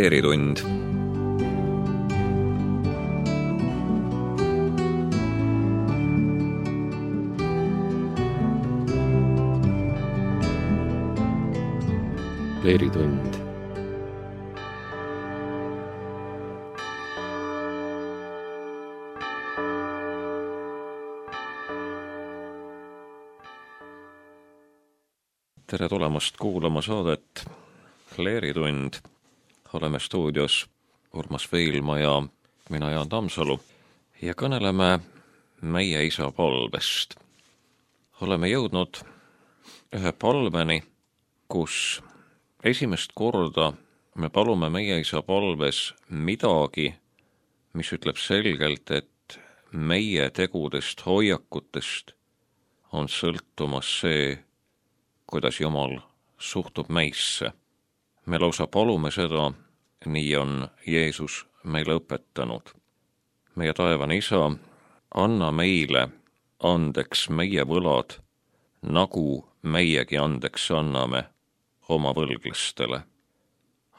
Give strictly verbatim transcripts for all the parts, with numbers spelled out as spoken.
Leeritund. Leeritund. Tere tulemast kuulama saadet Leeritund. Oleme stuudios Urmas Veilma ja mina Jaan Tamsalu ja kõneleme meie isa palvest. Oleme jõudnud ühe palveni, kus esimest korda me palume meie isa palves midagi, mis ütleb selgelt, et meie tegudest, hoiakutest on sõltumas see, kuidas Jumal suhtub meisse. Me lausa palume seda, nii on Jeesus meile õpetanud. Meie taevane isa, anna meile andeks meie võlad, nagu meiegi andeks anname oma võlglastele.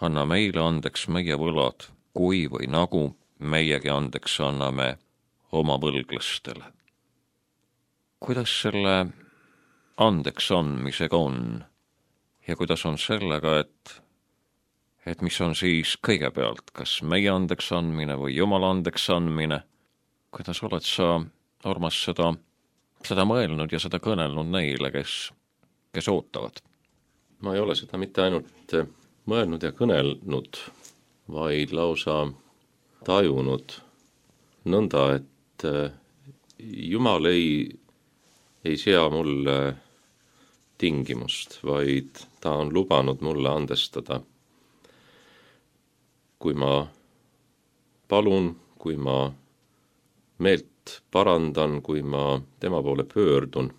Anna meile andeks meie võlad, kui või nagu meiegi andeks anname oma võlglastele. Kuidas selle andeks andmisega on ja kuidas on sellega, et, et mis on siis kõigepealt, kas meie andeks andmine või Jumala andeks andmine? Kuidas oled sa, Urmas, seda, seda mõelnud ja seda kõnelnud neile, kes, kes ootavad? Ma ei ole seda mitte ainult mõelnud ja kõnelnud, vaid lausa tajunud nõnda, et Jumal ei, ei sea mulle tingimust, vaid ta on lubanud mulle andestada. Kui ma palun, kui ma meelt parandan, kui ma tema poole pöördun.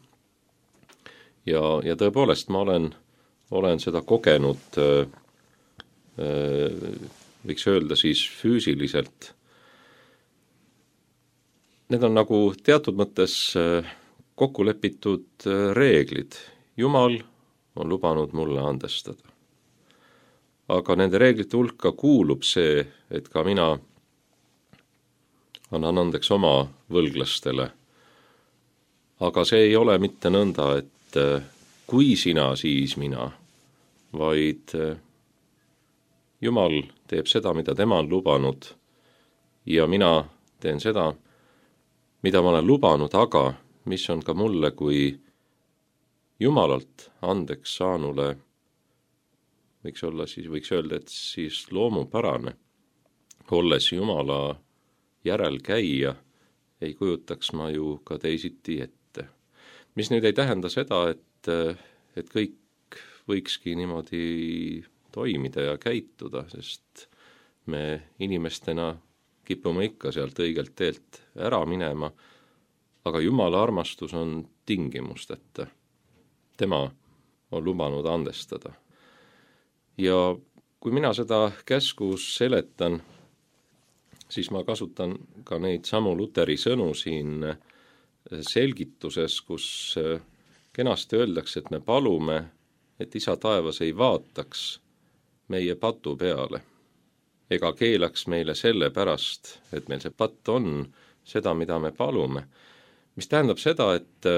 Ja, ja tõepoolest ma olen, olen seda kogenud, võiks öelda siis füüsiliselt. Need on nagu teatud mõttes kokku lepitud reeglid. Jumal on lubanud mulle andestada. Aga nende reeglite hulka kuulub see, et ka mina annan andeks oma võlglastele. Aga see ei ole mitte nõnda, et kui sina, siis mina, vaid Jumal teeb seda, mida tema on lubanud ja mina teen seda, mida ma olen lubanud, aga mis on ka mulle kui Jumalalt andeks saanule, võiks olla siis, võiks öelda, et siis loomupärane, olles Jumala järelkäija, ei kujutaks ma ju ka teisiti ette. Mis nüüd ei tähenda seda, et, et kõik võikski niimoodi toimida ja käituda, sest me inimestena kipume ikka sealt õigelt teelt ära minema, aga Jumala armastus on tingimusteta. Tema on lubanud andestada. Ja kui mina seda käsku seletan, siis ma kasutan ka neid samu Luteri sõnu siin selgituses, kus kenasti öeldakse, et me palume, et isa taevas ei vaataks meie patu peale, ega keelaks meile selle pärast, et meil see patt on seda, mida me palume. Mis tähendab seda, et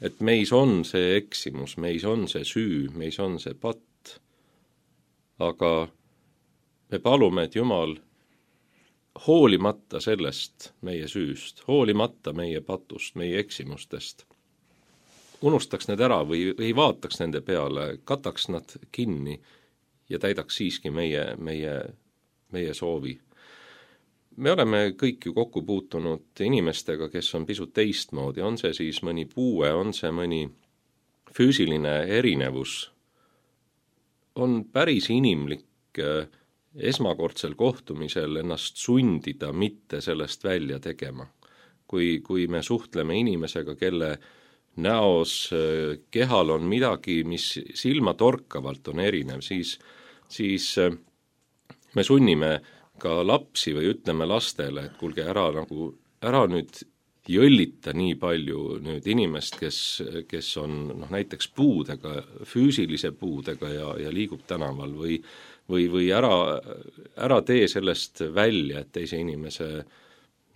et meis on see eksimus, meis on see süü, meis on see patt. Aga me palume, et Jumal hoolimata sellest meie süüst, hoolimata meie patust, meie eksimustest, unustaks need ära või ei vaataks nende peale, kataks nad kinni ja täidaks siiski meie, meie, meie soovi. Me oleme kõik ju kokku puutunud inimestega, kes on pisut teistmoodi, on see siis mõni puue, on see mõni füüsiline erinevus. On päris inimlik esmakordsel kohtumisel ennast sundida mitte sellest välja tegema. Kui, kui me suhtleme inimesega, kelle näos, kehal on midagi, mis silma torkavalt on erinev, siis, siis me sunnime ka lapsi või ütleme lastele, et kuulge ära, nagu, ära nüüd jõllita nii palju nüüd inimest, kes, kes on noh, näiteks puudega, füüsilise puudega ja, ja liigub tänaval või või, või ära, ära tee sellest välja, et teise inimese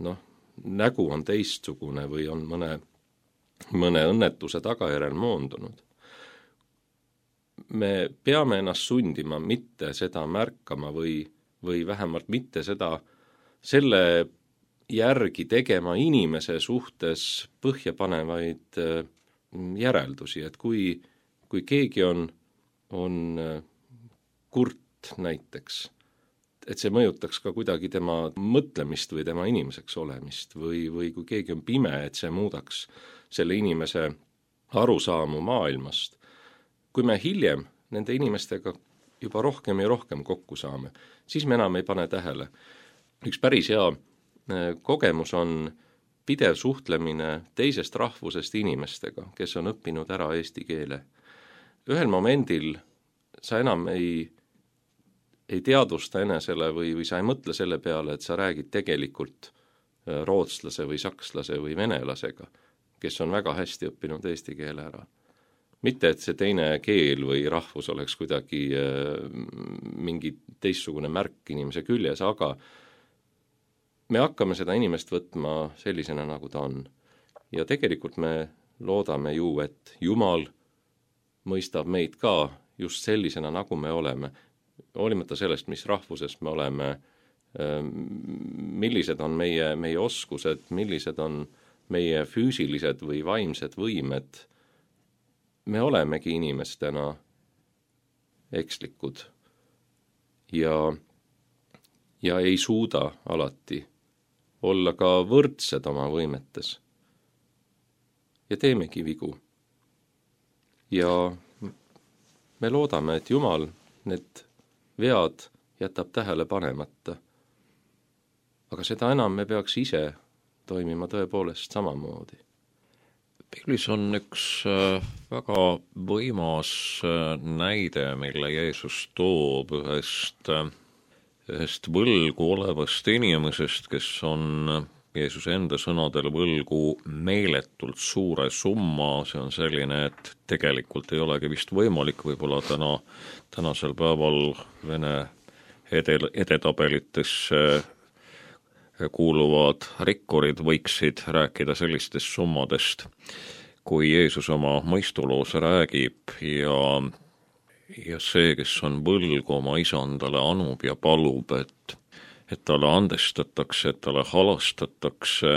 noh, nägu on teistsugune või on mõne, mõne õnnetuse tagajärjel moondunud. Me peame ennast sundima mitte seda märkama või, või vähemalt mitte seda selle järgi tegema inimese suhtes põhjapanevaid järeldusi, et kui, kui keegi on, on kurt näiteks, et see mõjutaks ka kuidagi tema mõtlemist või tema inimeseks olemist või, või kui keegi on pime, et see muudaks selle inimese arusaamu maailmast. Kui me hiljem nende inimestega juba rohkem ja rohkem kokku saame, siis me enam ei pane tähele. Üks päris hea kogemus on pidev suhtlemine teisest rahvusest inimestega, kes on õppinud ära eesti keele. Ühel momendil sa enam ei ei teadvusta enesele või, või sa ei mõtle selle peale, et sa räägid tegelikult rootslase või sakslase või venelasega, kes on väga hästi õppinud eesti keele ära. Mitte, et see teine keel või rahvus oleks kuidagi mingi teistsugune märk inimese küljes, aga me hakkame seda inimest võtma sellisena, nagu ta on. Ja tegelikult me loodame ju, et Jumal mõistab meid ka just sellisena, nagu me oleme, hoolimata sellest, mis rahvusest me oleme, millised on meie, meie oskused, millised on meie füüsilised või vaimsed võimed, me olemegi inimestena ekslikud ja, ja ei suuda alati olla ka võrdsed oma võimetes. Ja teemegi vigu. Ja me loodame, et Jumal need vead jätab tähele panemata. Aga seda enam me peaks ise toimima tõepoolest samamoodi. Piiblis on üks väga võimas näide, mille Jeesus toob ühest, ühest võlgu olevast inimesest, kes on Jeesuse enda sõnadel võlgu meeletult suure summa. See on selline, et tegelikult ei olegi vist võimalik, võib-olla täna, tänasel päeval Vene edel, edetabelitesse kuuluvad rikkurid võiksid rääkida sellistest summadest, kui Jeesus oma mõistuloos räägib ja, ja see, kes on võlgu oma isandale, anub ja palub, et et talle andestatakse, et talle halastatakse,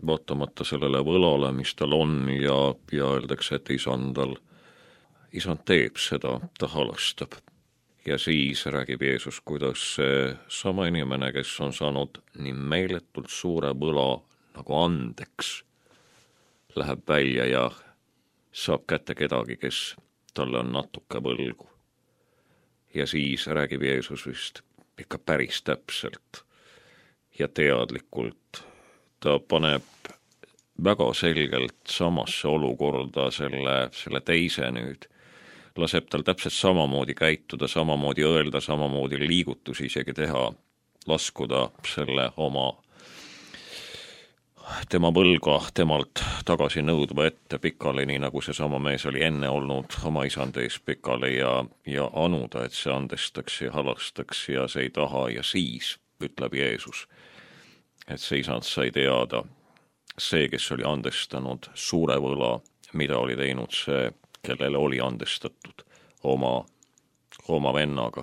vaatamata sellele võlale, mis tal on ja, ja öeldakse, et isandal, isand teeb seda, ta halastab. Ja siis räägib Jeesus, kuidas see sama inimene, kes on saanud nii meeletult suure võla nagu andeks, läheb välja ja saab kätte kedagi, kes talle on natuke võlgu. Ja siis räägib Jeesus vist ikka päris täpselt ja teadlikult. Ta paneb väga selgelt samasse olukorda selle, selle teise nüüd. Laseb tal täpselt samamoodi käituda, samamoodi öelda, samamoodi liigutusi isegi teha, laskuda selle oma tema võlga temalt tagasi nõudva ette pikali, nii nagu see sama mees oli enne olnud oma isand ees pikali ja, ja anuda, et see andestaks ja halastaks ja see ei taha ja siis ütleb Jeesus, et see isand sai teada, see, kes oli andestanud suure võla, mida oli teinud see, kellele oli andestatud oma, oma vennaga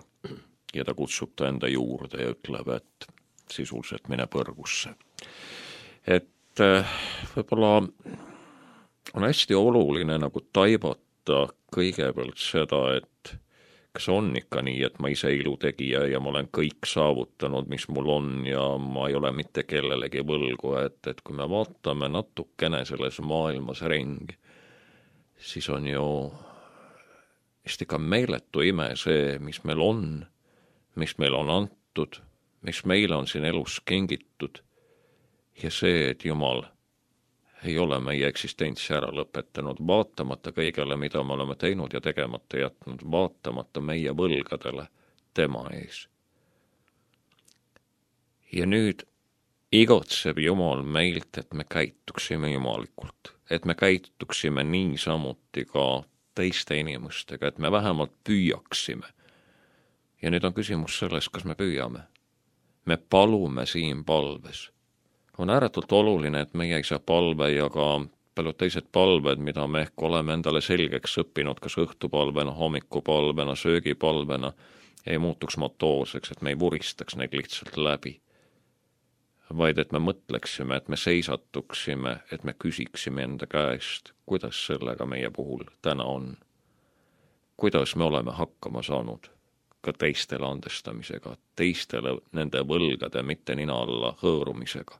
ja ta kutsub ta enda juurde ja ütleb, et sisuliselt mine põrgusse. Et võib-olla on hästi oluline nagu taibata kõigepealt seda, et kas on ikka nii, et ma ise ilutegija ja ma olen kõik saavutanud, mis mul on ja ma ei ole mitte kellelegi võlgu, et, et kui me vaatame natukene selles maailmas ringi, siis on ju vist ikka meeletu ime see, mis meil on, mis meil on antud, mis meile on siin elus kingitud. Ja see, et Jumal ei ole meie eksistentsi ära lõpetanud, vaatamata kõigele, mida me oleme teinud ja tegemata jätnud, vaatamata meie võlgadele tema ees. Ja nüüd igotseb Jumal meilt, et me käituksime jumalikult, et me käituksime niisamuti ka teiste inimestega, et me vähemalt püüaksime. Ja nüüd on küsimus selles, kas me püüame. Me palume siin palves. On ääretult oluline, et meie isa palve ja ka paljud teised palved, mida me ehk oleme endale selgeks õppinud, kas õhtupalvena, hommikupalvena, söögipalvena, ei muutuks motoorseks, et me ei vuristaks neid lihtsalt läbi. Vaid et me mõtleksime, et me seisatuksime, et me küsiksime enda käest, kuidas sellega meie puhul täna on. Kuidas me oleme hakkama saanud ka teistele andestamisega, teistele nende võlgade mitte nina alla hõõrumisega,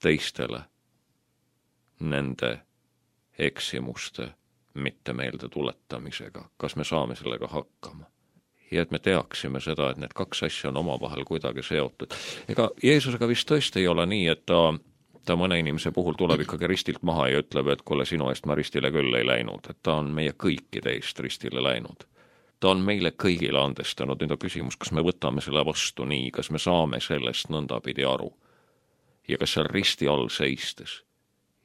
teistele nende eksimuste mitte meelde tuletamisega, kas me saame sellega hakkama. Ja et me teaksime seda, et need kaks asja on omavahel kuidagi seotud. Ega Jeesusega vist tõesti ei ole nii, et ta, ta mõne inimese puhul tuleb ikkagi ristilt maha ja ütleb, et kuule, sinu eest ma ristile küll ei läinud, et ta on meie kõikide eest ristile läinud. Ta on meile kõigile andestanud, nüüd on küsimus, kas me võtame selle vastu nii, kas me saame sellest nõndapidi aru ja kas seal risti all seistes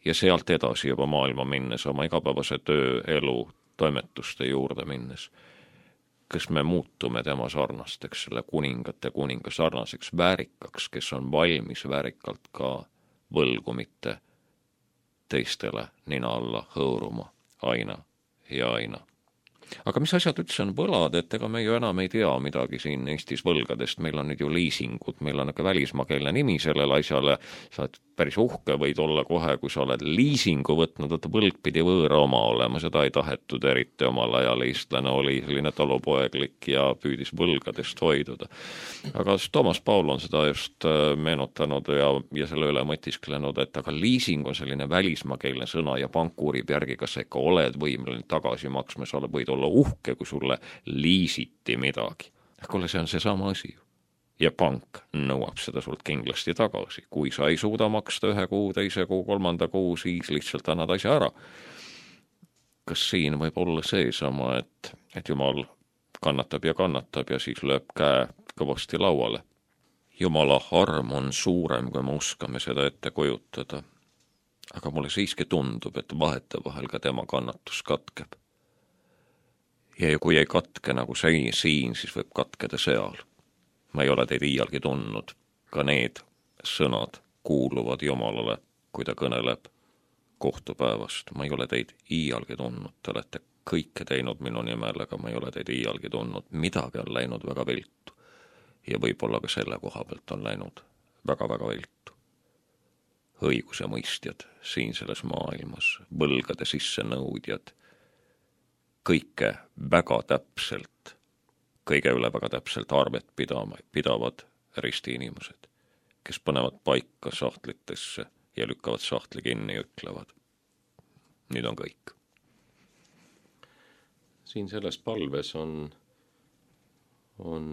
ja sealt edasi juba maailma minnes, oma igapäevase töö, elu, toimetuste juurde minnes, kas me muutume tema sarnasteks, selle kuningate kuninga sarnaseks väärikaks, kes on valmis väärikalt ka võlgu mitte teistele nina alla hõõruma aina ja aina. Aga mis asjad üldse on võlad, et ega me ju enam ei tea midagi siin Eestis võlgadest, meil on nüüd ju liisingud, meil on aga välismaakeelne nimi sellele asjale, sa oled päris uhke võid olla kohe, kui sa oled liisingu võtnud, et võlg pidi võõra oma olema, seda ei tahetud eriti omal ajal, eestlane oli selline talupoeglik ja püüdis võlgadest hoiduda. Aga Toomas Paul on seda just meenutanud ja, ja selle üle mõtisklenud, et aga liising on selline välismaakeelne sõna ja pank uurib järgi, kas sa ikka oled võimeline tagasi maksma, sa võid olla uhke, kui sulle liisiti midagi. Kuule, see on see sama asi ju. Ja pank nõuab seda sult kindlasti tagasi. Kui sa ei suuda maksta ühe kuu, teise kuu, kolmanda kuu, siis lihtsalt annad asja ära. Kas siin võib olla see sama, et, et Jumal kannatab ja kannatab ja siis lööb käe kõvasti lauale. Jumala arm on suurem, kui me oskame seda ette kujutada. Aga mulle siiski tundub, et vahetevahel ka tema kannatus katkeb. Ja kui ei katke nagu see siin, siis võib katkeda seal. Ma ei ole teid iialgi tundnud. Ka need sõnad kuuluvad Jumalale, kui ta kõneleb kohtupäevast. Ma ei ole teid iialgi tundnud. Te olete kõike teinud minu nimel, aga ma ei ole teid iialgi tundnud. Midagi on läinud väga viltu. Ja võib-olla ka selle koha pealt on läinud väga-väga viltu. Õiguse mõistjad siin selles maailmas, võlgade sisse nõudjad, kõike väga täpselt, kõige üle väga täpselt arvet pidama, pidavad risti inimesed, kes panevad paika sahtlitesse ja lükkavad sahtli kinni ja ütlevad. Nüüd on kõik. Siin selles palves on, on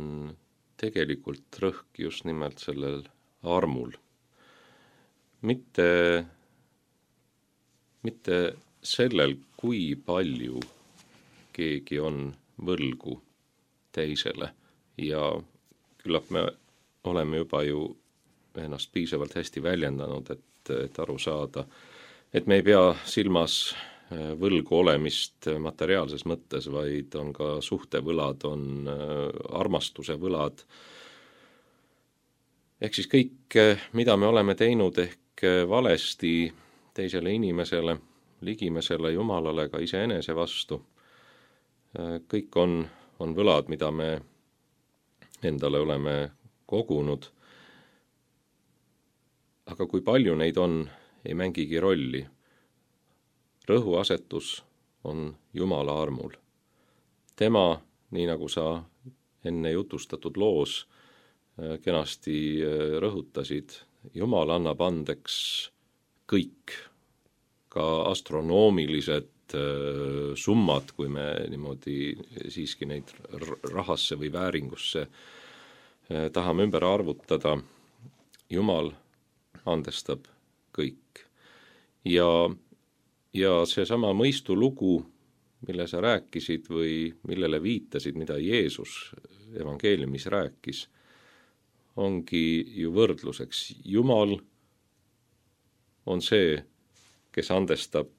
tegelikult rõhk just nimelt sellel armul. Mitte, mitte sellel, kui palju keegi on võlgu teisele ja küllap me oleme juba ju ennast piisavalt hästi väljendanud, et, et aru saada, et me ei pea silmas võlgu olemist materiaalses mõttes, vaid on ka suhtevõlad, on armastuse võlad. Ehk siis kõik, mida me oleme teinud ehk valesti teisele inimesele, ligimesele Jumalale ka iseenese vastu, kõik on, on võlad, mida me endale oleme kogunud. Aga kui palju neid on, ei mängigi rolli. Rõhuasetus on Jumala armul. Tema, nii nagu sa enne jutustatud loos kenasti rõhutasid, Jumal annab andeks kõik, ka astronoomilised summad, kui me niimoodi siiski neid rahasse või vääringusse tahame ümber arvutada. Jumal andestab kõik. Ja, ja seesama mõistulugu, mille sa rääkisid või millele viitasid, mida Jeesus evangeeliumis rääkis, ongi ju võrdluseks. Jumal on see, kes andestab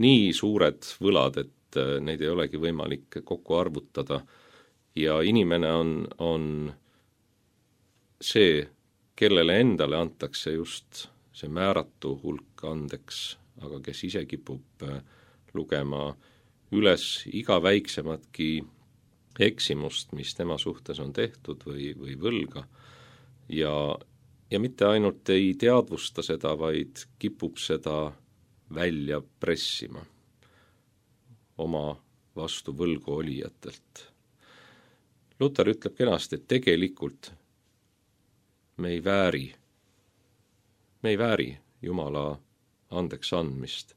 nii suured võlad, et neid ei olegi võimalik kokku arvutada ja inimene on, on see, kellele endale antakse just see määratu hulk andeks, aga kes ise kipub lugema üles iga väiksematki eksimust, mis tema suhtes on tehtud või, või võlga ja, ja mitte ainult ei teadvusta seda, vaid kipub seda välja pressima oma vastu võlgu olijatelt. Luter ütleb kenasti, et tegelikult me ei vääri, me ei vääri Jumala andeks andmist.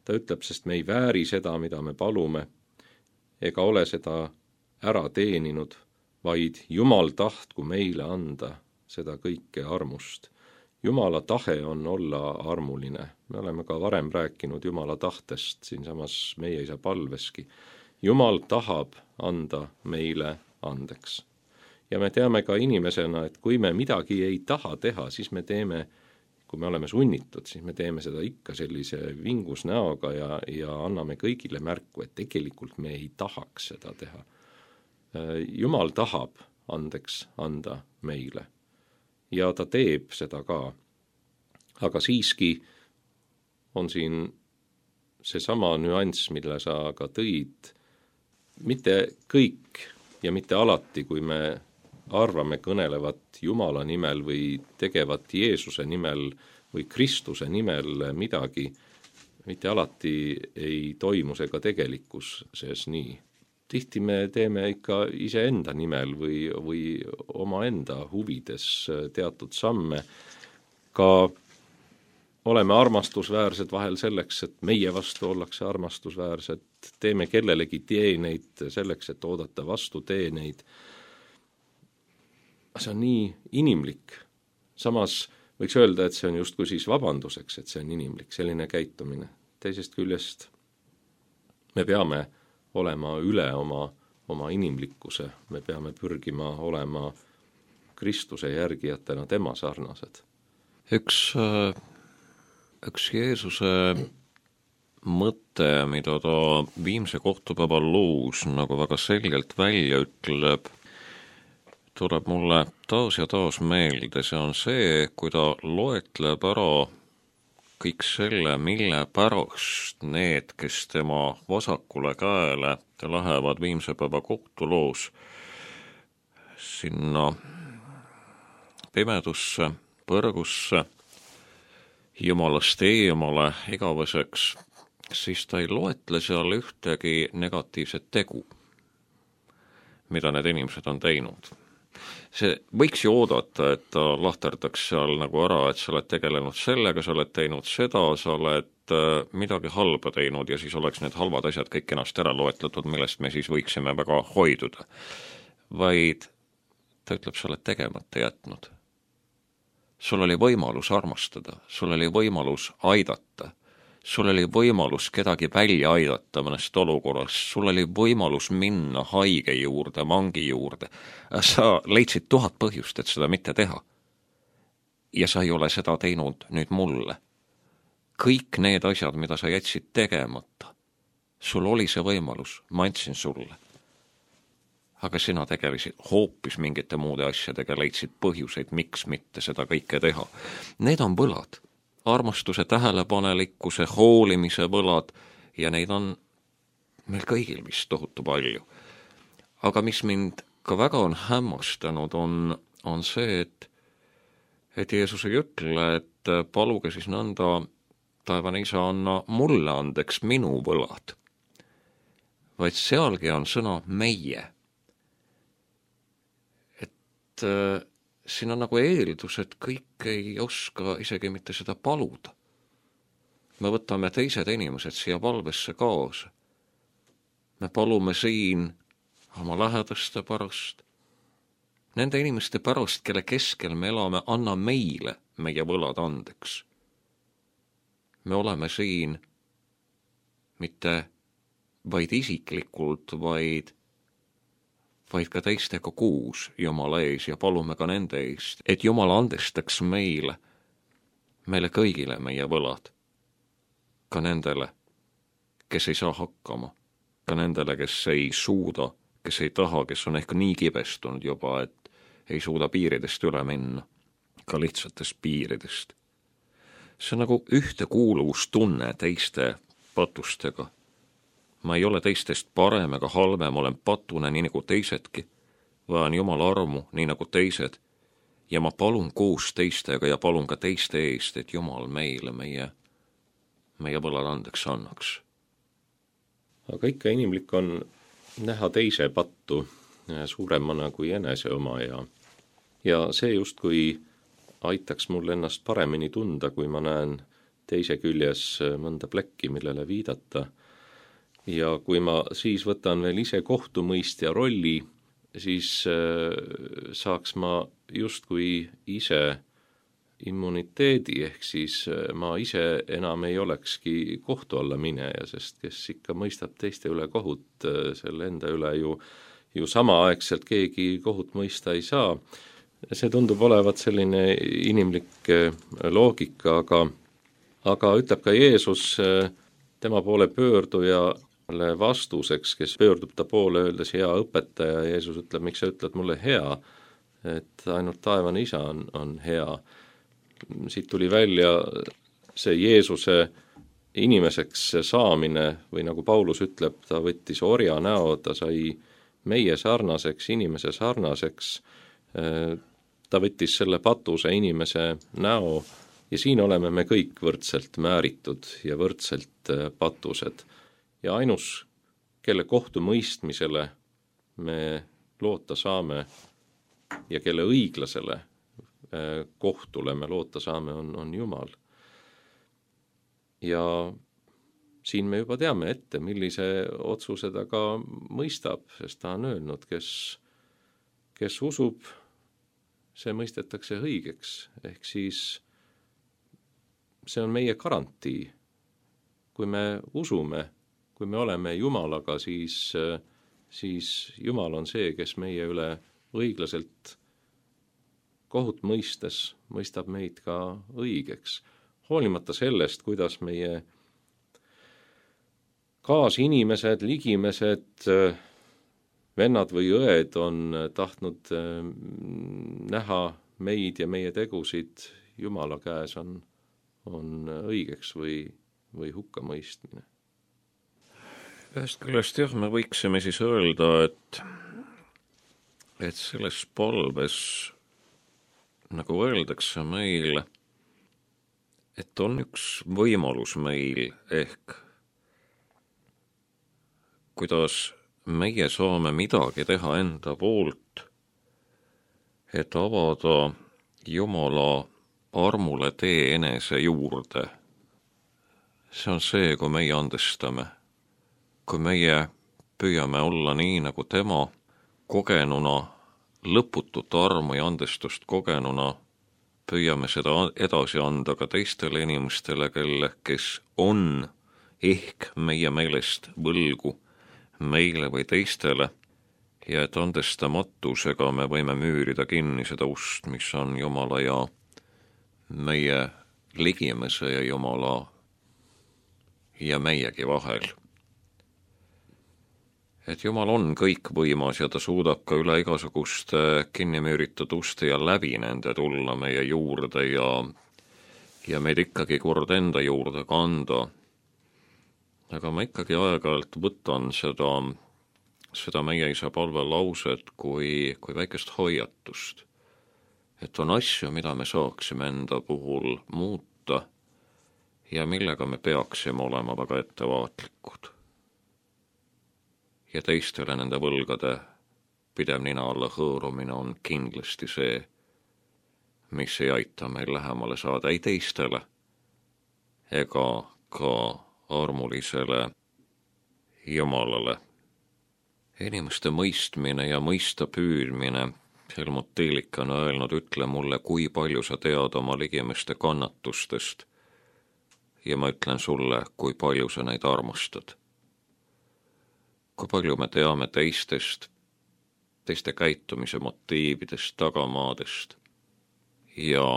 Ta ütleb, sest me ei vääri seda, mida me palume, ega ole seda ära teeninud, vaid Jumal tahtku meile anda seda kõike armust. Jumala tahe on olla armuline. Me oleme ka varem rääkinud Jumala tahtest siinsamas meie isa palveski. Jumal tahab anda meile andeks. Ja me teame ka inimesena, et kui me midagi ei taha teha, siis me teeme, kui me oleme sunnitud, siis me teeme seda ikka sellise vingus näoga ja, ja anname kõigile märku, et tegelikult me ei tahaks seda teha. Jumal tahab andeks anda meile ja ta teeb seda ka. Aga siiski on siin seesama nüanss, mille sa ka tõid, mitte kõik ja mitte alati, kui me arvame kõnelevat Jumala nimel või tegevat Jeesuse nimel või Kristuse nimel midagi, mitte alati ei toimu see ka tegelikkuses nii. Tihti me teeme ikka iseenda nimel või, või omaenda huvides teatud samme. Ka oleme armastusväärsed vahel selleks, et meie vastu ollakse armastusväärsed, teeme kellelegi teeneid selleks, et oodata vastu teeneid. See on nii inimlik. Samas võiks öelda, et see on justkui siis vabanduseks, et see on inimlik, selline käitumine. Teisest küljest me peame olema üle oma, oma inimlikkuse, me peame pürgima olema Kristuse järgijatena tema sarnased. Üks, üks Jeesuse mõte, mida ta viimse kohtupäeva loos nagu väga selgelt välja ütleb, tuleb mulle taas ja taas meelde, see on see, kui ta loetleb ära kõik selle, mille pärast need, kes tema vasakule käele lähevad viimse päeva kohtuloos sinna pimedusse, põrgusse, Jumalast eemale igaveseks, siis ta ei loetle seal ühtegi negatiivset tegu, mida need inimesed on teinud. See võiks ju oodata, et ta lahterdaks seal nagu ära, et sa oled tegelenud sellega, sa oled teinud seda, sa oled midagi halba teinud ja siis oleks need halvad asjad kõik ennast ära loetletud, millest me siis võiksime väga hoiduda. Vaid ta ütleb, sa oled tegemata jätnud. Sul oli võimalus armastada, sul oli võimalus aidata, sul oli võimalus kedagi välja aidata mõnest olukorrast, sul oli võimalus minna haige juurde, mangi juurde. Sa leidsid tuhat põhjust, et seda mitte teha. Ja sa ei ole seda teinud nüüd mulle. Kõik need asjad, mida sa jätsid tegemata, sul oli see võimalus, ma andsin sulle. Aga sina tegelesid hoopis mingite muude asjadega, leidsid põhjuseid, miks mitte seda kõike teha. Need on võlad. Armastuse, tähelepanelikkuse, hoolimise võlad ja neid on meil kõigil vist tohutu palju. Aga mis mind ka väga on hämmastanud, on, on see, et, et Jeesus ei ütle, et paluge siis nõnda taevane isa anna mulle andeks minu võlad, vaid sealgi on sõna meie. Et äh, siin on nagu eeldus, et kõik ei oska isegi mitte seda paluda. Me võtame teised inimesed siia palvesse kaasa. Me palume siin oma lähedaste pärast, nende inimeste pärast, kelle keskel me elame, anna meile meie võlad andeks. Me oleme siin mitte vaid isiklikult, vaid vaid ka teistega kuus Jumala ees ja palume ka nende eest, et Jumal andestaks meile, meile kõigile meie võlad, ka nendele, kes ei saa hakkama, ka nendele, kes ei suuda, kes ei taha, kes on ehk nii kibestunud juba, et ei suuda piiridest üle minna, ka lihtsatest piiridest. See on nagu ühtekuuluvustunne teiste patustega. Ma ei ole teistest parem ega halvem, olen patune nii nagu teisedki, vajan Jumala armu nii nagu teised ja ma palun koos teistega ja palun ka teiste eest, et Jumal meile meie, meie võlad andeks annaks. Aga ikka inimlik on näha teise pattu suuremana kui enese oma ja, ja see just kui aitaks mul ennast paremini tunda, kui ma näen teise küljes mõnda plekki, millele viidata. Ja kui ma siis võtan veel ise kohtumõistja rolli, siis saaks ma justkui ise immuniteedi, ehk siis ma ise enam ei olekski kohtu alla mineja, sest kes ikka mõistab teiste üle kohut, selle enda üle ju, ju samaaegselt keegi kohut mõista ei saa. See tundub olevat selline inimlik loogika, aga, aga ütleb ka Jeesus tema poole pöördujale vastuseks, kes pöördub ta poole öeldes hea õpetaja, Jeesus ütleb, miks sa ütled mulle hea, et ainult taevane isa on, on hea. Siit tuli välja see Jeesuse inimeseks saamine või nagu Paulus ütleb, ta võttis orja näo, ta sai meie sarnaseks, inimese sarnaseks, ta võttis selle patuse inimese näo ja siin oleme me kõik võrdselt määritud ja võrdselt patused. Ja ainus, kelle kohtumõistmisele me loota saame ja kelle õiglasele kohtule me loota saame, on, on Jumal. Ja siin me juba teame ette, millise otsuse ta ka mõistab, sest ta on öelnud, kes, kes usub, see mõistetakse õigeks, ehk siis see on meie garantii. Kui me usume, kui me oleme Jumalaga, siis, siis Jumal on see, kes meie üle õiglaselt kohut mõistes mõistab meid ka õigeks. Hoolimata sellest, kuidas meie kaasinimesed, ligimesed, vennad või õed on tahtnud näha meid ja meie tegusid Jumala käes on, on õigeks või, või hukkamõistmine. Ühest küljest jah, me võiksime siis öelda, et, et selles palves, nagu öeldakse meil, et on üks võimalus meil ehk kuidas meie saame midagi teha enda poolt, et avada Jumala armule tee enese juurde. See on see, kui meie andestame, kui meie püüame olla nii, nagu tema kogenuna, lõputut armu ja andestust kogenuna, püüame seda edasi anda ka teistele inimestele, kelle, kes on ehk meie meelest võlgu meile või teistele, ja et andestamatusega me võime müürida kinni seda ust, mis on Jumala ja meie ligimese ja Jumala ja meiegi vahel. Et Jumal on kõikvõimas ja ta suudab ka üle igasuguste kinnimüüritud uste ja läbi nende tulla meie juurde ja, ja meid ikkagi kord enda juurde kanda. Aga ma ikkagi aeg-ajalt võtan seda, seda meie isa palve lauset kui, kui väikest hoiatust. Et on asju, mida me saaksime enda puhul muuta ja millega me peaksime olema väga ettevaatlikud. Ja teistele nende võlgade pidev nina alla hõõrumine on kindlasti see, mis ei aita meil lähemale saada ei teistele ega ka armulisele Jumalale. Inimeste mõistmine ja mõista püüdmine, Helmut Tiilik on öelnud, ütle mulle, kui palju sa tead oma ligimeste kannatustest ja ma ütlen sulle, kui palju sa neid armastad. Kui palju me teame teistest teiste käitumise motiividest, tagamaadest ja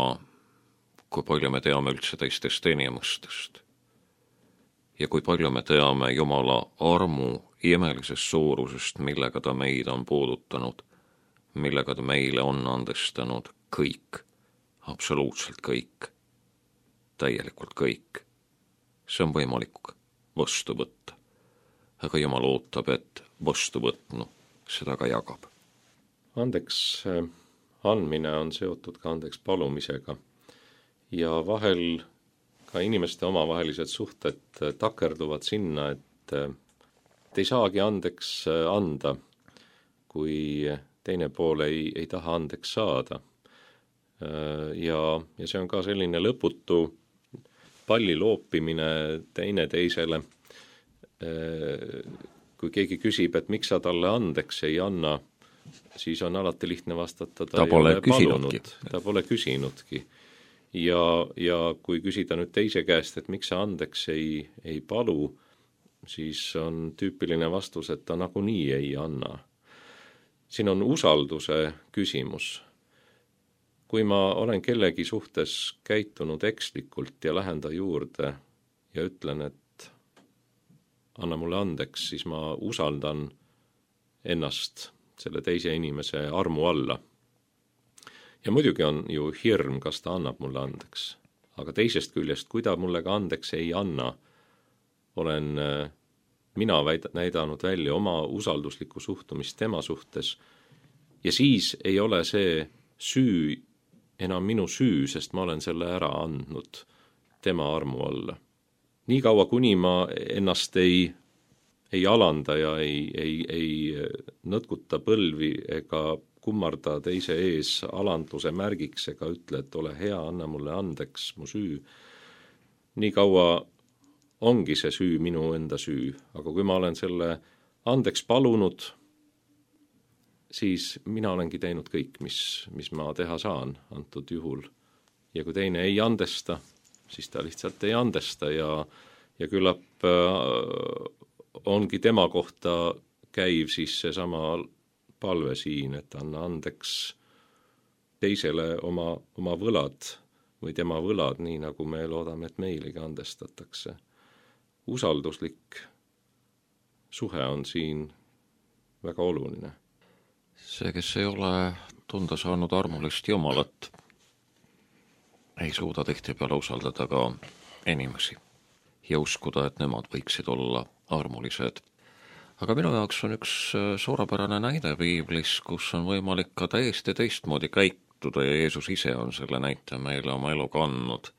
kui palju me teame üldse teistest inimestest ja kui palju me teame Jumala armu imelisest suurusest, millega ta meid on puudutanud, millega ta meile on andestanud kõik, absoluutselt kõik, täielikult kõik. See on võimalik vastu võtta, aga Jumal ootab, et vastu võtnu seda ka jagab. Andeks andmine on seotud ka andeks palumisega ja vahel ka inimeste omavahelised suhted takerduvad sinna, et, et ei saagi andeks anda, kui teine pool ei, ei taha andeks saada. Ja, ja see on ka selline lõputu palli loopimine teine teisele. Kui keegi küsib, et miks sa talle andeks ei anna, siis on alati lihtne vastata, ta, ta pole küsinudki. Ta pole küsinudki. Ja, ja kui küsida nüüd teise käest, et miks sa andeks ei, ei palu, siis on tüüpiline vastus, et ta nagunii ei anna. Siin on usalduse küsimus. Kui ma olen kellegi suhtes käitunud ekslikult ja lähen ta juurde ja ütlen, et anna mulle andeks, siis ma usaldan ennast selle teise inimese armu alla. Ja muidugi on ju hirm, kas ta annab mulle andeks. Aga teisest küljest, kui ta mulle ka andeks ei anna, olen mina näidanud välja oma usalduslikku suhtumist tema suhtes ja siis ei ole see süü enam minu süü, sest ma olen selle ära andnud tema armu alla. Nii kaua, kuni ma ennast ei, ei alanda ja ei, ei, ei nõtkuta põlvi ega kummarda teise ees alandluse märgiks ega ütle, et ole hea, anna mulle andeks mu süü. Nii kaua ongi see süü minu enda süü, aga kui ma olen selle andeks palunud, siis mina olengi teinud kõik, mis, mis ma teha saan antud juhul. Ja kui teine ei andesta, siis ta lihtsalt ei andesta ja, ja küllap äh, ongi tema kohta käiv siis seesama palve siin, et anna andeks teisele oma, oma võlad või tema võlad, nii nagu me loodame, et meilegi andestatakse. Usalduslik suhe on siin väga oluline. See, kes ei ole tunda saanud armulist Jumalat, ei suuda tihtipeale usaldada ka inimesi ja uskuda, et nemad võiksid olla armulised. Aga minu jaoks on üks suurepärane näide piiblis, kus on võimalik ka täiesti teistmoodi käituda ja Jeesus ise on selle näite meile oma elu kandnud.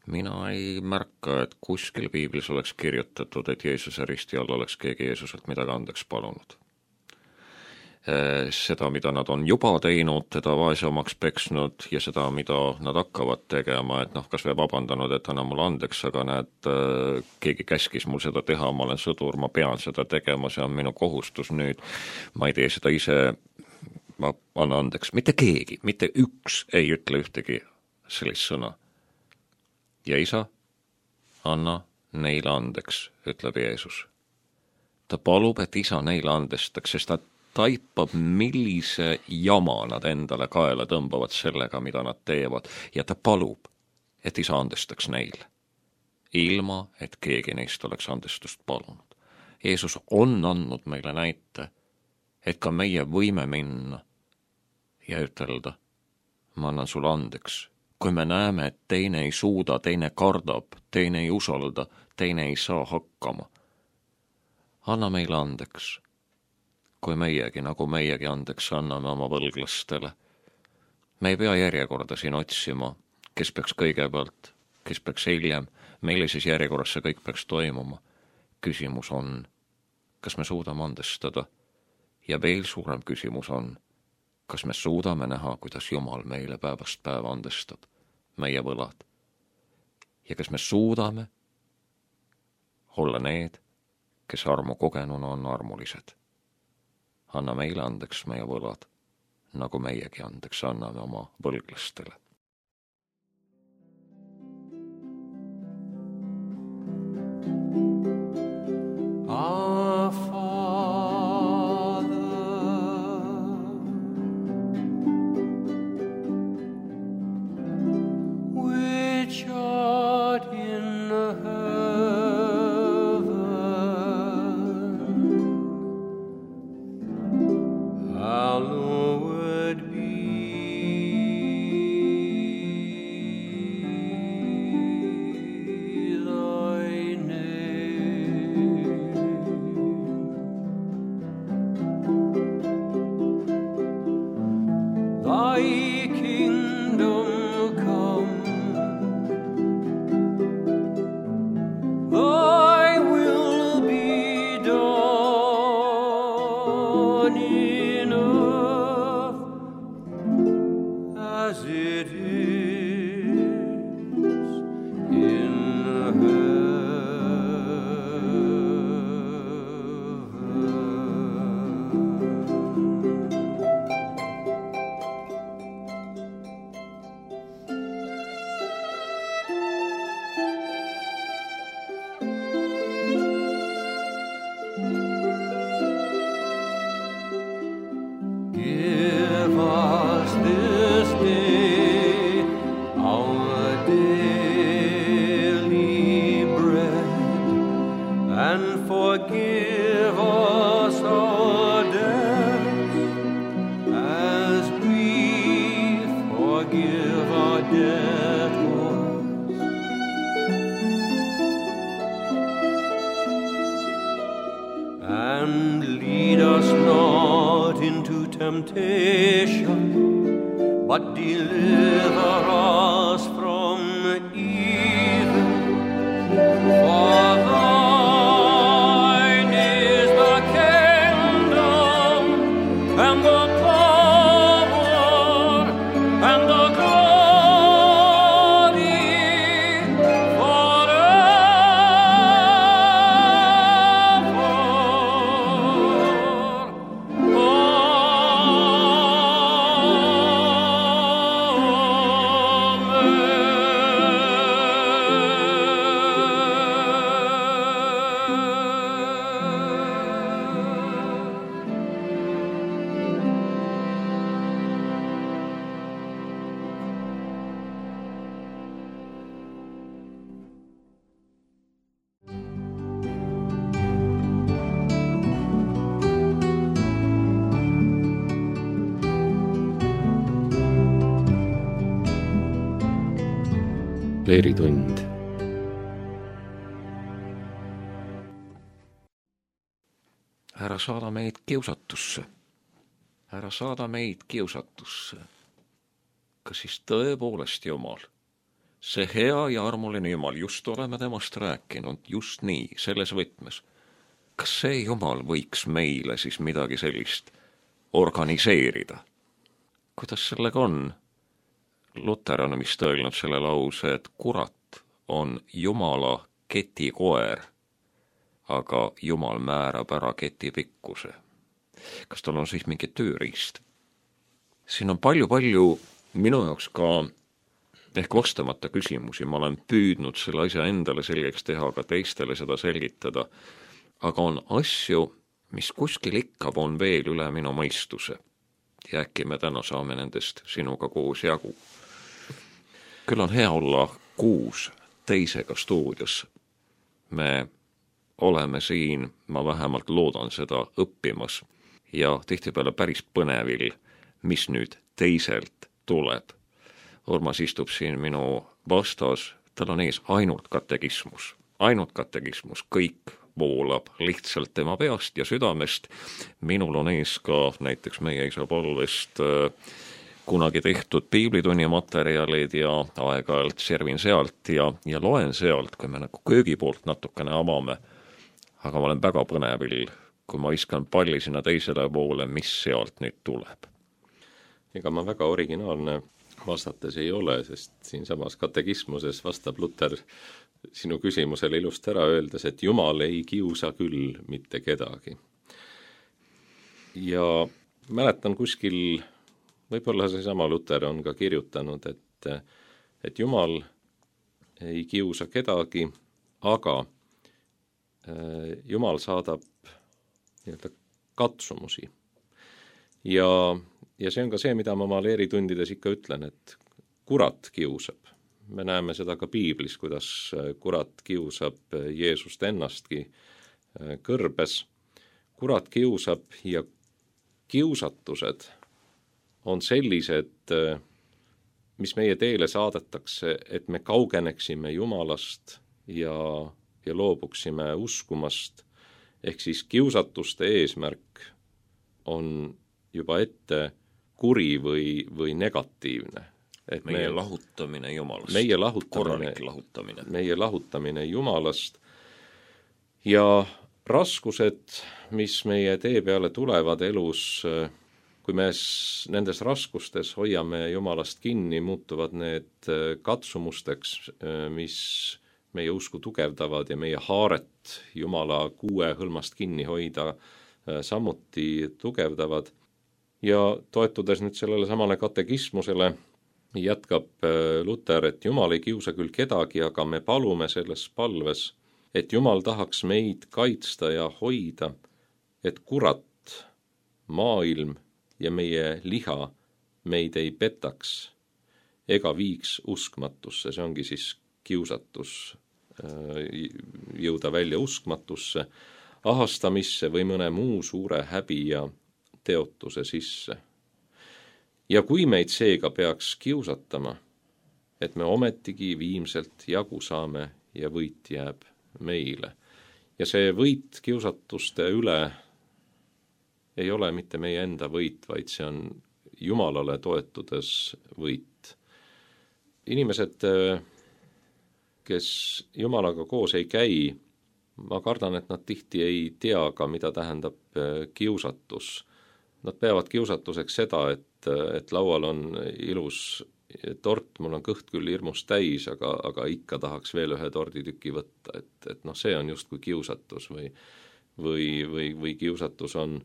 Mina ei märka, et kuskil piiblis oleks kirjutatud, et Jeesuse risti all oleks keegi Jeesuselt midagi andeks palunud. Seda, mida nad on juba teinud, teda vaesemaks peksnud ja seda, mida nad hakkavad tegema, et noh, kas või vabandanud, et anna mulle andeks, aga näed, keegi käskis mul seda teha, ma olen sõdur, ma pean seda tegema, see on minu kohustus nüüd, ma ei tee seda ise, ma anna andeks. Mitte keegi, mitte üks ei ütle ühtegi sellist sõna. Ja isa, anna neile andeks, ütleb Jeesus. Ta palub, et isa neile andestaks, sest ta taipab, millise jama nad endale kaela tõmbavad sellega, mida nad teevad, ja ta palub, et isa andestaks neile, ilma et keegi neist oleks andestust palunud. Jeesus on andnud meile näite, et ka meie võime minna ja ütelda, ma annan sulle andeks. Kui me näeme, et teine ei suuda, teine kardab, teine ei usalda, teine ei saa hakkama, anna meile andeks. Kui meiegi, nagu meiegi andeks anname oma võlglastele. Me ei pea järjekorda siin otsima, kes peaks kõigepealt, kes peaks hiljem, millises järjekorras see kõik peaks toimuma. Küsimus on, kas me suudame andestada? Ja veel suurem küsimus on, kas me suudame näha, kuidas Jumal meile päevast päeva andestab meie võlad? Ja kas me suudame olla need, kes armu kogenuna on armulised? Anna meile andeks meie võlad, nagu meiegi andeks anname oma võlglastele. Our Father, it is in heaven. Give us this day our daily bread, and forgive us our debts, as we forgive our debtors. And lead us not into temptation, but deliver us from evil. For thine is the kingdom, and the power, and the glory Leeritund. Ära saada meid kiusatusse. Ära saada meid kiusatusse. Kas siis tõepoolest Jumal, see hea ja armuline Jumal, just oleme temast rääkinud, just nii, selles võtmes. Kas see Jumal võiks meile siis midagi sellist organiseerida? Kuidas sellega on? Luter on vist öelnud selle lause, et kurat on Jumala ketikoer, aga Jumal määrab ära keti pikkuse. Kas tal on siis mingi tööriist? Siin on palju-palju minu jaoks ka ehk vastamata küsimusi. Ma olen püüdnud selle asja endale selgeks teha, aga teistele seda selgitada. Aga on asju, mis kuskil ikka on veel üle minu mõistuse. Ja äkki me täna saame nendest sinuga koos jagu. Küll on hea olla kuus teisega stuudios. Me oleme siin, ma vähemalt loodan seda, õppimas ja tihtipeale päris põnevil, mis nüüd teiselt tuleb. Urmas istub siin minu vastas, tal on ees ainult katekismus. Ainult katekismus, kõik voolab lihtsalt tema peast ja südamest. Minul on ees ka näiteks meie isa palvest kunagi tehtud piiblitunni materjalid ja aeg-ajalt servin sealt ja, ja loen sealt, kui me nagu köögi poolt natukene avame. Aga ma olen väga põnevil, kui ma viskan palli sinna teisele poole, mis sealt nüüd tuleb. Ega ma väga originaalne vastates ei ole, sest siin samas katekismuses vastab Luter sinu küsimusele ilust ära öeldes, et Jumal ei kiusa küll mitte kedagi. Ja mäletan kuskil, võib-olla see sama Luter on ka kirjutanud, et, et Jumal ei kiusa kedagi, aga Jumal saadab nii-öelda katsumusi. Ja, ja see on ka see, mida ma oma leeritundides ikka ütlen, et kurat kiusab. Me näeme seda ka piiblis, kuidas kurat kiusab Jeesust ennastki kõrbes. Kurat kiusab ja kiusatused on sellised, mis meie teele saadetakse, et me kaugeneksime Jumalast ja, ja loobuksime uskumast. Ehk siis kiusatuste eesmärk on juba ette kuri või, või negatiivne. Et meie me, lahutamine Jumalast. Meie lahutamine, lahutamine. meie lahutamine Jumalast. Ja raskused, mis meie tee peale tulevad elus, kui me nendes raskustes hoiame Jumalast kinni, muutuvad need katsumusteks, mis meie usku tugevdavad ja meie haaret Jumala kuue hõlmast kinni hoida samuti tugevdavad. Ja toetudes nüüd sellele samale katekismusele, jätkab Luter, et Jumal ei kiusa küll kedagi, aga me palume selles palves, et Jumal tahaks meid kaitsta ja hoida, et kurat, maailm ja meie liha meid ei petaks ega viiks uskmatusse. See ongi siis kiusatus, jõuda välja uskmatusse, ahastamisse või mõne muu suure häbi ja teotuse sisse. Ja kui meid seega peaks kiusatama, et me ometigi viimselt jagu saame ja võit jääb meile. Ja see võit kiusatuste üle ei ole mitte meie enda võit, vaid see on Jumalale toetudes võit. Inimesed, kes Jumalaga koos ei käi, ma kardan, et nad tihti ei tea ka, mida tähendab kiusatus. Nad peavad kiusatuseks seda, et, et laual on ilus tort, mul on kõht küll hirmus täis, aga, aga ikka tahaks veel ühe torditüki võtta, et, et noh, see on just kui kiusatus või, või, või, või kiusatus on,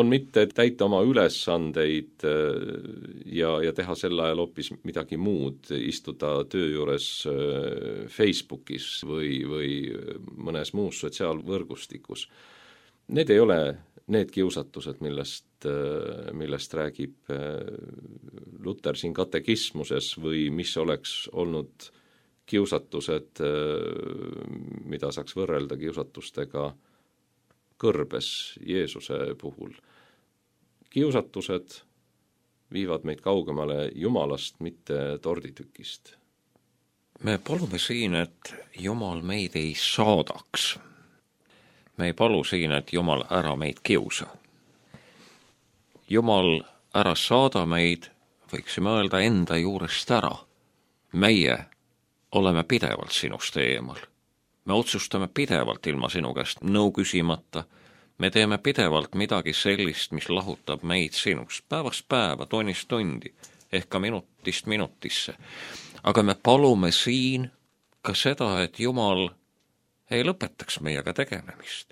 on mitte täita oma ülesandeid ja, ja teha sel ajal hoopis midagi muud, istuda töö juures Facebookis või, või mõnes muus sotsiaalvõrgustikus. Need ei ole need kiusatused, millest, millest räägib Luter siin katekismuses või mis oleks olnud kiusatused, mida saaks võrrelda kiusatustega kõrbes Jeesuse puhul. Kiusatused viivad meid kaugemale Jumalast, mitte torditükist. Me palume siin, et Jumal meid ei saadaks. Me ei palu siin, et Jumal ära meid kiusa. Jumal ära saada meid, võiksime öelda enda juurest ära. Meie oleme pidevalt sinust eemal. Me otsustame pidevalt ilma sinu käest nõu küsimata. Me teeme pidevalt midagi sellist, mis lahutab meid sinust päevast päeva, tunnist tundi, ehk ka minutist minutisse. Aga me palume siin ka seda, et Jumal ei lõpetaks meiega tegelemist.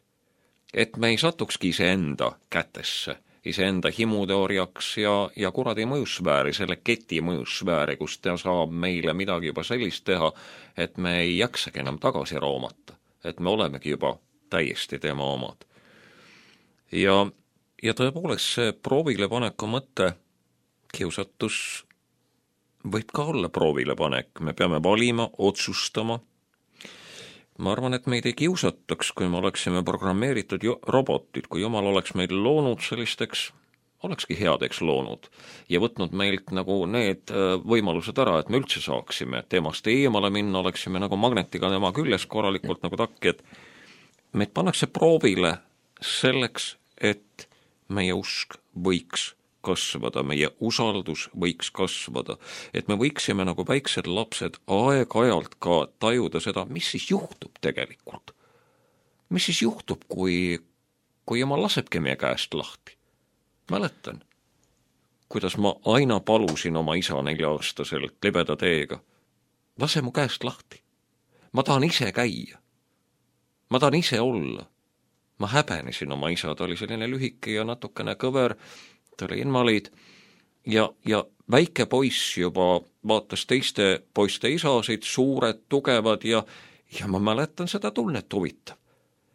Et me ei satukski iseenda kätesse, iseenda himude orjaks ja, ja kuradi mõjusfääri, selle keti mõjusfääri, kus ta saab meile midagi juba sellist teha, et me ei jaksagi enam tagasi roomata, et me olemegi juba täiesti tema omad. Ja, ja tõepoolest see proovilepaneku mõte, kiusatus võib ka olla proovilepanek, me peame valima, otsustama. Ma arvan, et meid ei kiusataks, kui me oleksime programmeeritud robotid, kui Jumal oleks meid loonud sellisteks, olekski headeks loonud ja võtnud meilt nagu need võimalused ära, et me üldse saaksime temast eemale minna, oleksime nagu magnetiga tema küljes korralikult nagu takki, et meid pannakse proovile selleks, et meie usk võiks kasvada, meie usaldus võiks kasvada, et me võiksime nagu väiksed lapsed aeg-ajalt ka tajuda seda, mis siis juhtub tegelikult. Mis siis juhtub, kui, kui Jumal lasebki meie käest lahti. Mäletan, kuidas ma aina palusin oma isa nelja-aastaselt libeda teega. Lase mu käest lahti. Ma tahan ise käia. Ma tahan ise olla. Ma häbenesin oma isa, ta oli selline lühike ja natukene kõver, ta oli invaliid ja, ja väike poiss juba vaatas teiste poiste isasid, suured, tugevad ja, ja ma mäletan seda tunnet huvitav.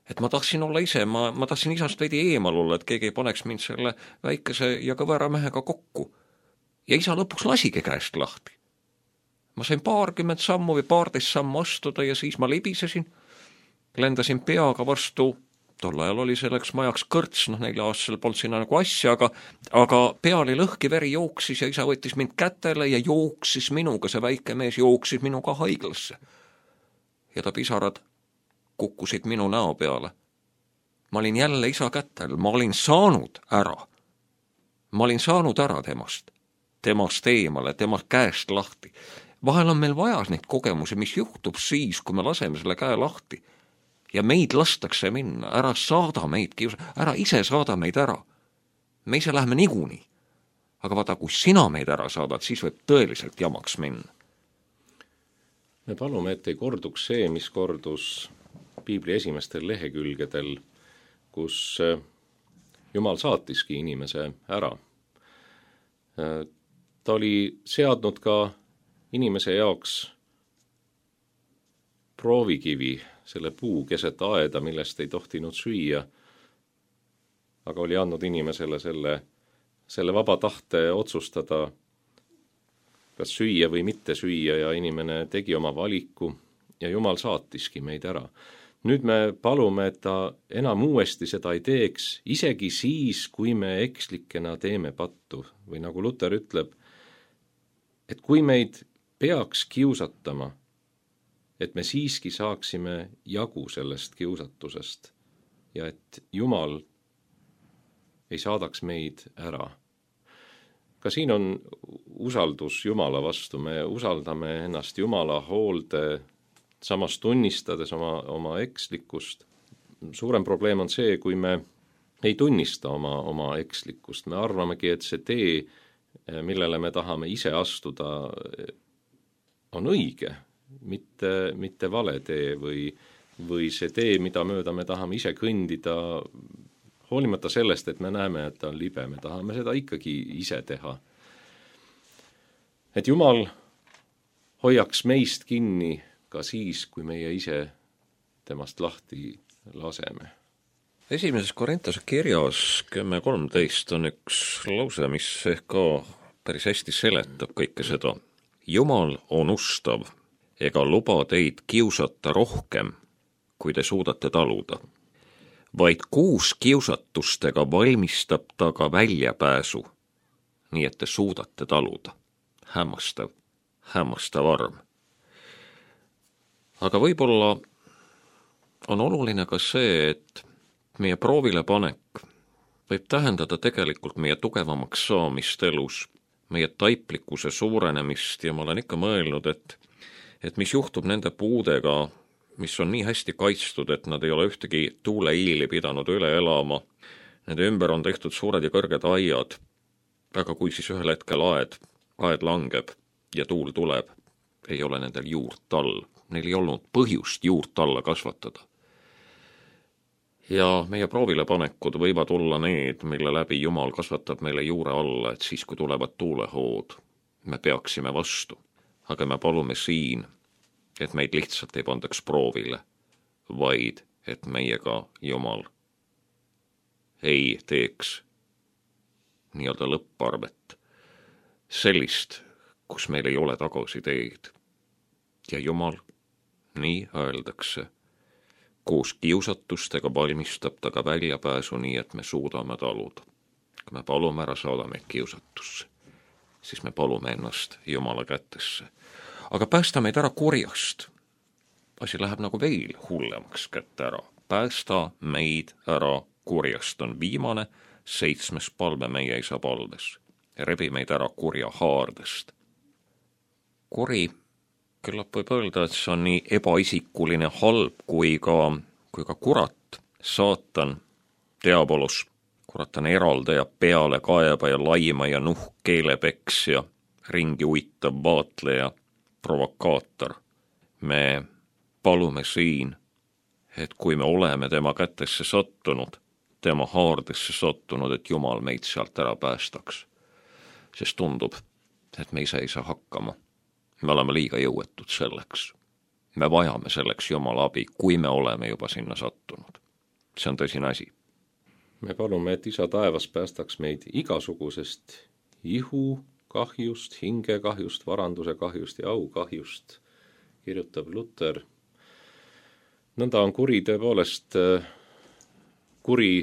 Et ma tahtsin olla ise, ma, ma tahtsin isast veidi eemal olla, et keegi ei paneks mind selle väikese ja kõvera mehega kokku. Ja isa lõpuks lasigi käest lahti. Ma sain paarkümmend sammu või paarteist sammu astuda ja siis ma libisesin, lendasin peaga vastu. Tol ajal oli selleks majaks kõrts, noh neile aastasel polnud sinna nagu asja, aga, aga pea oli lõhki, veri jooksis ja isa võttis mind kätele ja jooksis minuga, see väike mees jooksis minuga haiglasse. Ja ta pisarad kukkusid minu näo peale. Ma olin jälle isa kätel, ma olin saanud ära. Ma olin saanud ära temast, temast eemale, temast käest lahti. Vahel on meil vaja neid kogemusi, mis juhtub siis, kui me laseme selle käe lahti. Ja meid lastakse minna, ära saada meid, ära ise saada meid ära. me ise läheme niikuinii. Aga vaata, kui sina meid ära saadad, siis võib tõeliselt jamaks minna. Me palume, et ei korduks see, mis kordus piibli esimestel lehekülgedel, kus Jumal saatiski inimese ära. Ta oli seadnud ka inimese jaoks proovikivi, selle puu keset aeda, millest ei tohtinud süüa, aga oli andnud inimesele selle, selle vaba tahte otsustada, kas süüa või mitte süüa, ja inimene tegi oma valiku ja Jumal saatiski meid ära. Nüüd me palume, et ta enam uuesti seda ei teeks, isegi siis, kui me ekslikena teeme pattu. Või nagu Luter ütleb, et kui meid peaks kiusatama, et me siiski saaksime jagu sellest kiusatusest ja et Jumal ei saadaks meid ära. Ka siin on usaldus Jumala vastu, me usaldame ennast Jumala hoolde, samas tunnistades oma, oma ekslikkust. Suurem probleem on see, kui me ei tunnista oma, oma ekslikkust. Me arvamegi, et see tee, millele me tahame ise astuda, on õige, mitte, mitte vale tee või, või see tee, mida mööda me tahame ise kõndida, hoolimata sellest, et me näeme, et ta on libe, me tahame seda ikkagi ise teha. Et Jumal hoiaks meist kinni ka siis, kui meie ise temast lahti laseme. Esimeses Korintuse kirjas kümme kolmteist on üks lause, mis ehk ka päris hästi seletab kõike seda. Jumal on ustav ega luba teid kiusata rohkem, kui te suudate taluda. Vaid kuus kiusatustega valmistab ta ka väljapääsu, nii et te suudate taluda. Hämmastav, hämmastav arm. Aga võib-olla on oluline ka see, et meie proovile panek võib tähendada tegelikult meie tugevamaks saamist elus, meie taiplikkuse suurenemist, ja ma olen ikka mõelnud, et, et mis juhtub nende puudega, mis on nii hästi kaitstud, et nad ei ole ühtegi tuuleiili pidanud üle elama. Nende ümber on tehtud suured ja kõrged aiad, aga kui siis ühel hetkel aed, aed langeb ja tuul tuleb, ei ole nendel juurt all. Neil ei olnud põhjust juurt alla kasvatada. Ja meie proovile panekud võivad olla need, mille läbi Jumal kasvatab meile juure alla, et siis, kui tulevad tuulehood, me peaksime vastu. Aga me palume siin, et meid lihtsalt ei pandaks proovile, vaid et meiega Jumal ei teeks nii-öelda lõpparvet, sellist, kus meil ei ole tagasi teed. Ja Jumal, nii öeldakse, koos kiusatustega valmistab ta ka väljapääsu, nii et me suudame taluda. Kui me palume ära saada meid kiusatusse, siis me palume ennast Jumala kätesse. Aga päästa meid ära kurjast. Asi läheb nagu veel hullemaks kätte ära. Päästa meid ära kurjast on viimane seitsmes palve meie isa palves. Rebi meid ära kurja haardest. Kuri, küllap võib öelda, et see on nii ebaisikuline halb kui ka, kui ka kurat, saatan, diabolus. Kurat on eraldaja, peale kaebaja, laima ja nuhk keelepeksja, ringi uittav vaatleja, provokaator. Me palume siin, et kui me oleme tema kätesse sattunud, tema haardesse sattunud, et Jumal meid sealt ära päästaks. Sest tundub, et me ise ei saa hakkama. Me oleme liiga jõuetud selleks. Me vajame selleks Jumala abi, kui me oleme juba sinna sattunud. See on tõsine asi. Me palume, et isa taevas päästaks meid igasugusest ihu kahjust, hinge kahjust, varanduse kahjust ja au kahjust, kirjutab Luter. Nõnda on kuri tõepoolest kuri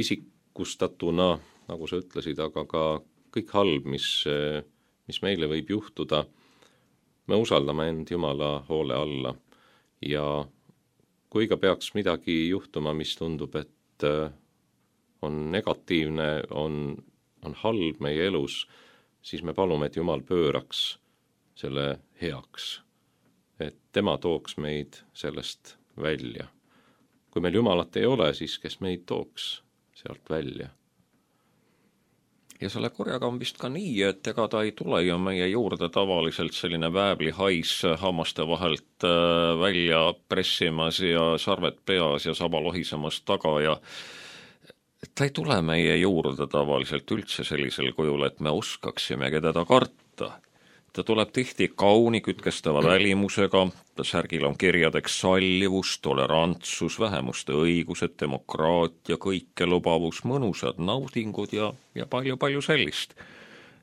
isikustatuna, nagu sa ütlesid, aga ka kõik halb, mis, mis meile võib juhtuda, me usaldame end Jumala hoole alla ja kui ka peaks midagi juhtuma, mis tundub, et on negatiivne, on, on halb meie elus, siis me palume, et Jumal pööraks selle heaks, et tema tooks meid sellest välja. Kui meil Jumalat ei ole, siis kes meid tooks sealt välja? ja selle korjaga on vist ka nii, et ega ta ei tule ju meie juurde tavaliselt selline vääblihais hammaste vahelt välja pressimas ja sarved peas ja saba lohisemas taga ja ta ei tule meie juurde tavaliselt üldse sellisel kujul, et me oskaksimegi teda karta. Ta tuleb tihti kauni kütkestava välimusega, ta särgil on kirjadeks sallivus, tolerantsus, vähemuste õigused, demokraatia, kõikelubavus, mõnusad naudingud ja, ja palju-palju sellist.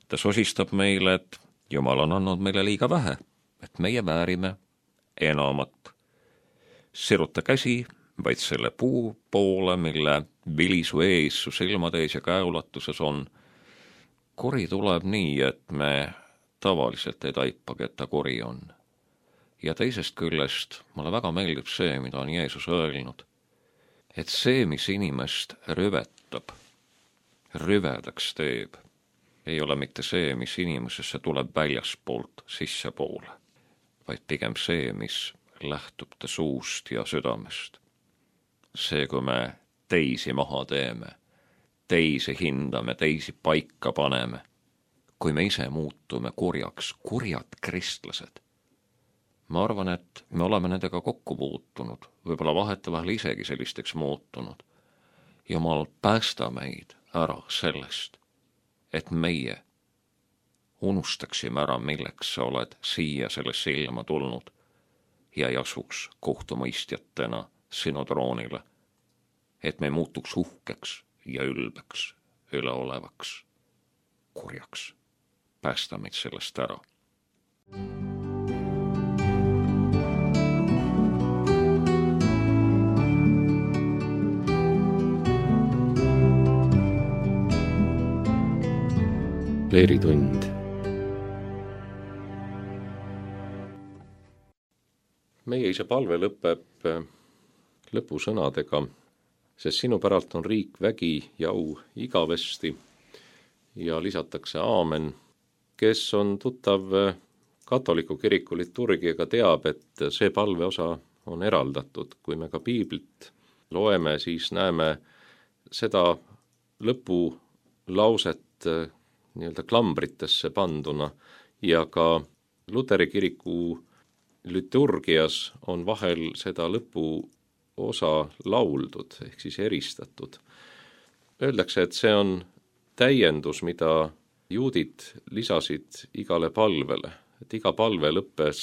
Ta sosistab meile, et Jumal on andnud meile liiga vähe, et meie väärime enamat. Siruta käsi vaid selle puu poole, mille vilisu ees su silmadees ja käeulatuses on. Kori tuleb nii, et me tavaliselt ei taipagi, et ta kori on. Ja teisest küljest mulle väga meeldib see, mida on Jeesus öelnud, et see, mis inimest rüvetab, rüvedaks teeb, ei ole mitte see, mis inimesesse tuleb väljaspoolt sissepoole, vaid pigem see, mis lähtub ta suust ja südamest. See, kui me teisi maha teeme, teisi hindame, teisi paika paneme, kui me ise muutume kurjaks, kurjad kristlased. Ma arvan, et me oleme nendega kokku puutunud, võib-olla vahetevahel isegi sellisteks muutunud. Jumal, päästa meid ära sellest, et meie unustaksime ära, milleks sa oled siia sellesse ilma tulnud ja ei asuks kohtumõistjatena sinu troonile, et me muutuks uhkeks ja ülbeks, üleolevaks, kurjaks. Päästa meid sellest ära. Leeritund. Meie isa palve lõpeb lõpusõnadega, sest sinu päralt on riik, vägi ja au igavesti ja lisatakse aamen. Kes on tuttav katoliku kiriku liturgiaga, teab, et see palveosa on eraldatud. Kui me ka piiblit loeme, siis näeme seda lõpulauset nii-öelda klambritesse panduna ja ka Luteri kiriku liturgias on vahel seda lõpuosa lauldud, ehk siis eristatud. Öeldakse, et see on täiendus, mida juudid lisasid igale palvele, et iga palve lõppes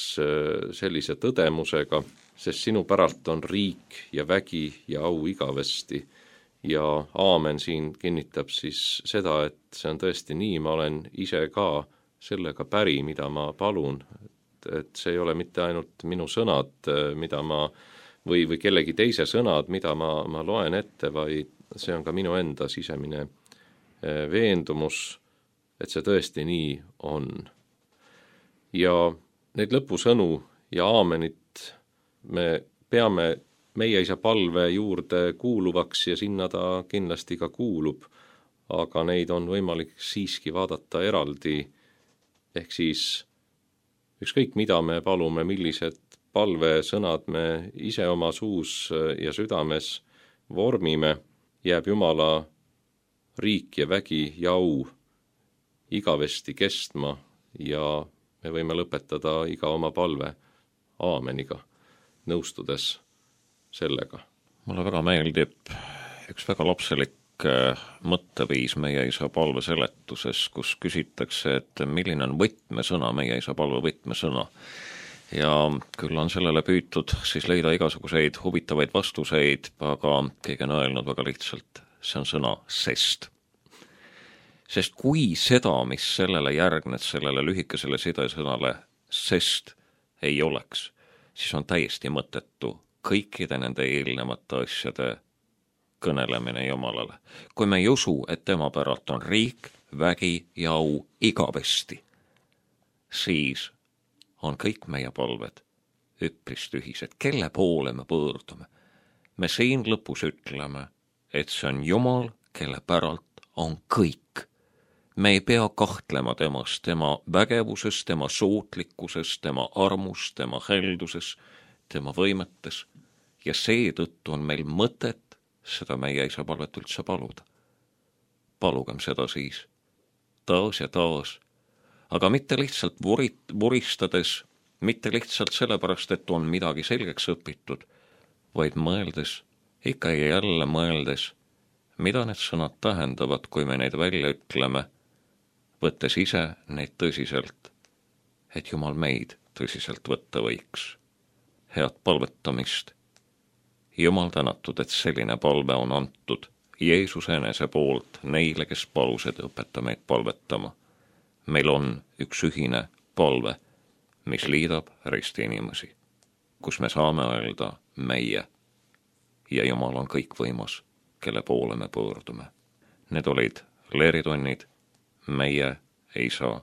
sellise tõdemusega, sest sinu päralt on riik ja vägi ja au igavesti. Ja aamen siin kinnitab siis seda, et see on tõesti nii, ma olen ise ka sellega päri, mida ma palun, et see ei ole mitte ainult minu sõnad, mida ma, või, või kellegi teise sõnad, mida ma, ma loen ette, vaid see on ka minu enda sisemine veendumus, et see tõesti nii on. Ja neid lõpusõnu ja aamenit me peame meie isa palve juurde kuuluvaks ja sinna ta kindlasti ka kuulub, aga neid on võimalik siiski vaadata eraldi, ehk siis ükskõik mida me palume, millised palvesõnad me ise oma suus ja südames vormime, jääb Jumala riik ja vägi ja au igavesti kestma ja me võime lõpetada iga oma palve aameniga, nõustudes sellega. Mulle väga meeldib üks väga lapselik mõtteviis meie isa palve seletuses, kus küsitakse, et milline on võtmesõna, meie isa palve võtmesõna. Ja küll on sellele püütud siis leida igasuguseid huvitavaid vastuseid, aga keegi on öelnud väga lihtsalt, see on sõna sest. Sest kui seda, mis sellele järgnet, sellele lühikesele sidesõnale sest ei oleks, siis on täiesti mõttetu kõikide nende eelnevate asjade kõnelemine Jumalale. Kui me ei usu, et tema päralt on riik, vägi ja au igavesti, siis on kõik meie palved üpris tühised. Kelle poole me pöördume? Me siin lõpus ütleme, et see on Jumal, kelle päralt on kõik. Me ei pea kahtlema temas, tema vägevuses, tema suutlikkuses, tema armus, tema helduses, tema võimetes ja seetõttu on meil mõtet seda meie isa palvet üldse paluda. Palugem seda siis taas ja taas, aga mitte lihtsalt vurit, vuristades, mitte lihtsalt sellepärast, et on midagi selgeks õpitud, vaid mõeldes, ikka ja jälle mõeldes, mida need sõnad tähendavad, kui me neid välja ütleme, võttes ise neid tõsiselt, et Jumal meid tõsiselt võtta võiks. Head palvetamist. Jumal tänatud, et selline palve on antud Jeesuse enese poolt neile, kes palused õpeta meid palvetama. Meil on üks ühine palve, mis liidab risti inimesi, kus me saame öelda meie ja Jumal on kõikvõimas, kelle poole me pöördume. Need olid leeritunnid meie isa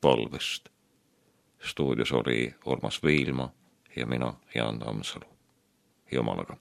palvest. Stuudios oli Urmas Viilma ja mina, Jaan Tammsalu. Jumalaga.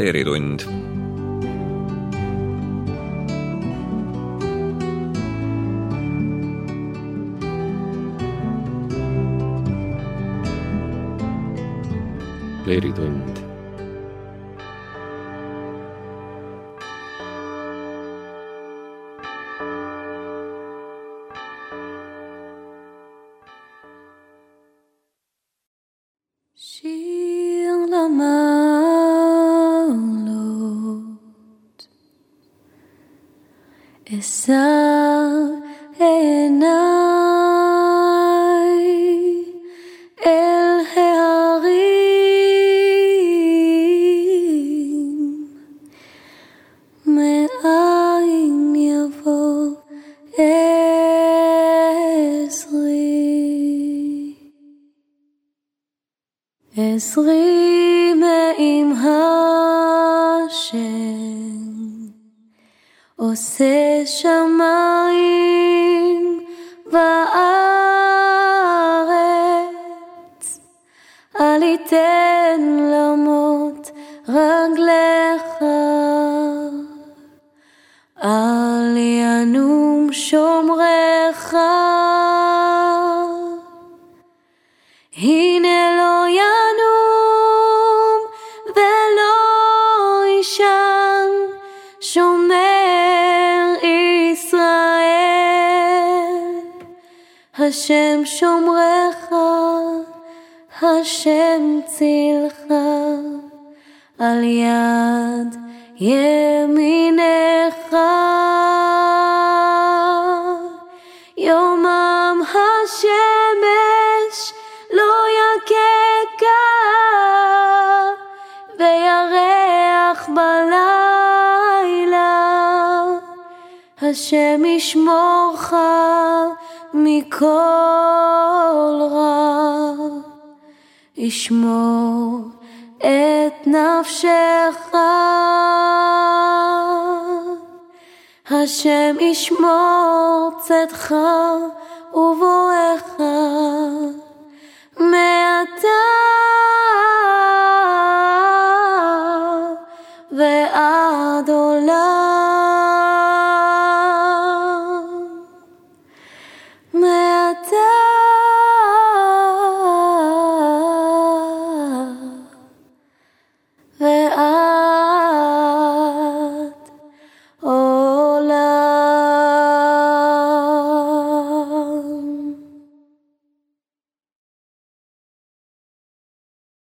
leeritund. Leeritund. שיר למעלות, אשא עיניי אל ההרים, מאין יבוא עזרי. עזרי מעם השם, עושה שמיים וארץ, אל יתן למות רגליך, אל ינום שומרך. הנה לא ינום ולא ישן שומר ישראל, השם שומרך, השם צילך, על יד ימינך. יומם השמש לא יקקה, וירח בלילה, השם ישמורך מכל רע, ישמור את נפשך. השם ישמור צאתך ובואך,